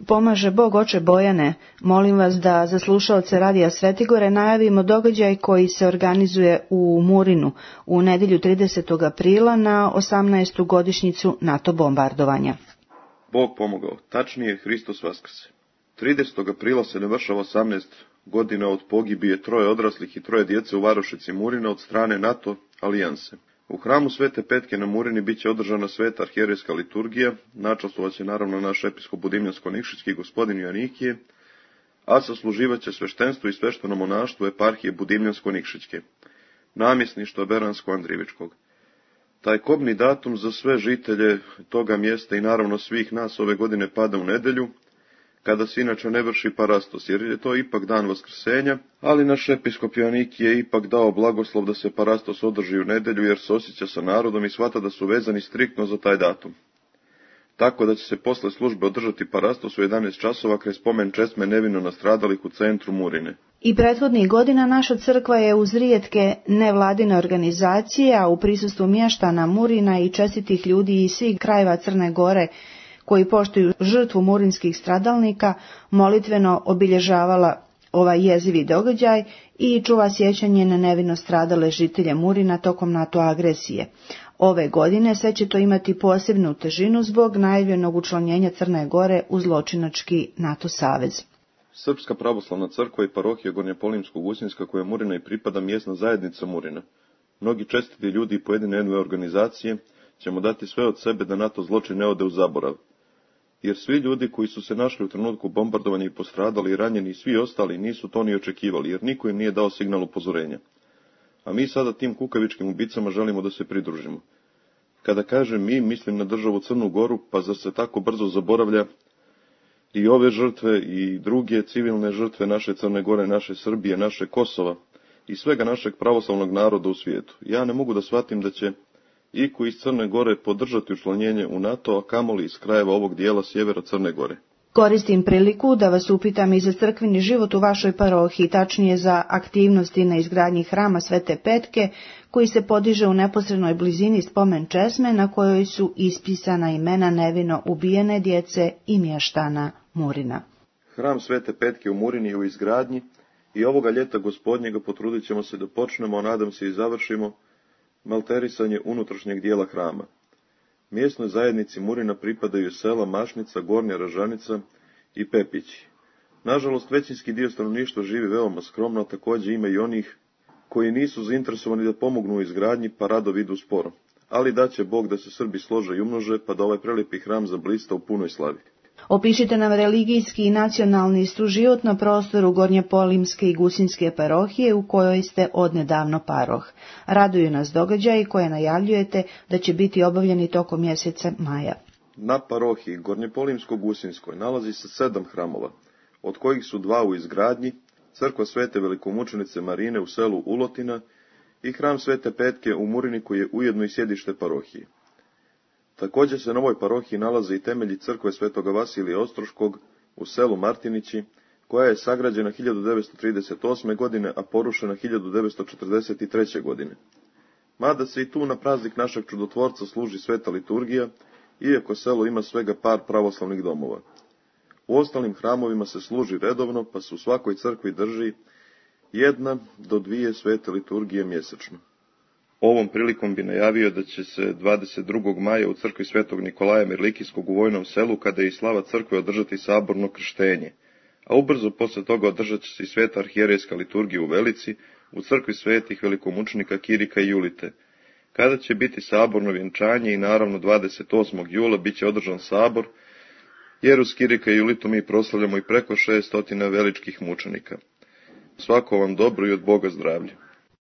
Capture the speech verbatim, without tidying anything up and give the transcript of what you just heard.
Pomaže Bog, oče Bojane, molim vas da za slušaoce Radija Svetigore najavimo događaj koji se organizuje u Murinu u nedjelju tridesetog aprila na osamnaestu godišnjicu NATO bombardovanja. Bog pomogao, tačnije Hristos vaskrse. tridesetog aprila se navršava osamnaest godina od pogibije troje odraslih i troje djece u varošici Murina od strane NATO alijanse. U hramu Svete Petke na Murini bit će održana sveta arhijerejska liturgija, načastvovat će naravno naš episkop Budimljansko-Nikšićki gospodin Joanikije, a sasluživat će sveštenstvo i svešteno monaštvo eparhije Budimljansko-Nikšićke, namjesništva Beransko-Andrivičkog. Taj kobni datum za sve žitelje toga mjesta i naravno svih nas ove godine pada u nedjelju, kada se inače ne vrši parastos, jer je to ipak dan vaskrsenja, ali naš episkop Joanikije je ipak dao blagoslov da se parastos održi u nedjelju, jer se osjeća sa narodom i shvata da su vezani striktno za taj datum. Tako da će se posle službe održati parastos u jedanaest časova kraj spomen česme nevino nastradalih u centru Murine. I prethodnih godina naša crkva je uz rijetke nevladine organizacije, a u prisustvu mještana Murina i čestitih ljudi iz svih krajeva Crne Gore, koji poštuju žrtvu murinskih stradalnika, molitveno obilježavala ovaj jezivi događaj i čuva sjećanje na nevino stradale žitelje Murina tokom NATO agresije. Ove godine sve će to imati posebnu težinu zbog najavljenog učlanjenja Crne Gore u zločinački NATO savez. Srpska pravoslavna crkva i parohija Gornjepolimsko-Gusinska, koja Murina i pripada, mjesna zajednica Murina. Mnogi čestiti ljudi i pojedine ene ve organizacije ćemo dati sve od sebe da NATO zločin ne ode u zaborav. Jer svi ljudi koji su se našli u trenutku bombardovanja i postradali i ranjeni i svi ostali nisu to ni očekivali, jer niko im nije dao signal upozorenja. A mi sada tim kukavičkim ubicama želimo da se pridružimo. Kada kažem mi, mislim na državu Crnu Goru, pa zar se tako brzo zaboravlja i ove žrtve i druge civilne žrtve naše Crne Gore, naše Srbije, naše Kosova i svega našeg pravoslavnog naroda u svijetu. Ja ne mogu da shvatim da će iko iz Crne Gore podržati učlanjenje u NATO, a kamoli iz krajeva ovog dijela sjevera Crne Gore. Koristim priliku da vas upitam i za crkveni život u vašoj parohiji, tačnije za aktivnosti na izgradnji hrama Svete Petke, koji se podiže u neposrednoj blizini spomen česme na kojoj su ispisana imena nevino ubijene djece i mještana Murina. Hram Svete Petke u Murini je u izgradnji i ovoga ljeta Gospodnjega potrudit ćemo se da počnemo, a nadam se i završimo, malterisanje unutrašnjeg dijela hrama. Mjesnoj zajednici Murina pripadaju sela Mašnica, Gornja Ražanica i Pepići. Nažalost, većinski dio stanovništva živi veoma skromno, a također ima i onih koji nisu zainteresovani da pomognu u izgradnji, pa rado vidu sporo. Ali daće Bog da se Srbi slože i umnože, pa da ovaj prelijepi hram zablista u punoj slavi. Opišite nam religijski i nacionalni suživot na prostoru Gornjepolimske i Gusinske parohije u kojoj ste odnedavno paroh. Raduju nas događaji koje najavljujete da će biti obavljeni tokom mjeseca maja. Na parohiji Gornjepolimsko-Gusinskoj nalazi se sedam hramova, od kojih su dva u izgradnji, crkva Svete velikomučenice Marine u selu Ulotina i hram Svete Petke u Murini, koji je ujedno i sjedište parohije. Također se na ovoj parohiji nalaze i temelji crkve Svetoga Vasilija Ostroškog u selu Martinići, koja je sagrađena hiljadu devetsto trideset osme. godine, a porušena hiljadu devetsto četrdeset treće. godine. Mada se i tu na praznik našeg čudotvorca služi sveta liturgija, iako selo ima svega par pravoslavnih domova. U ostalim hramovima se služi redovno, pa se u svakoj crkvi drži jedna do dvije svete liturgije mjesečno. Ovom prilikom bi najavio da će se dvadeset drugog maja u crkvi Svetog Nikolaja Mirlikijskog u Vojnom selu, kada je i slava crkve, održati saborno krštenje, a ubrzo posle toga održat će se i sveta arhijerejska liturgija u Velici, u crkvi svetih velikomučenika Kirika i Julite, kada će biti saborno vjenčanje i naravno dvadeset osmog jula bit će održan sabor, jer uz Kirika i Julitu mi proslavljamo i preko šest stotina veličkih mučenika. Svako vam dobro i od Boga zdravlje.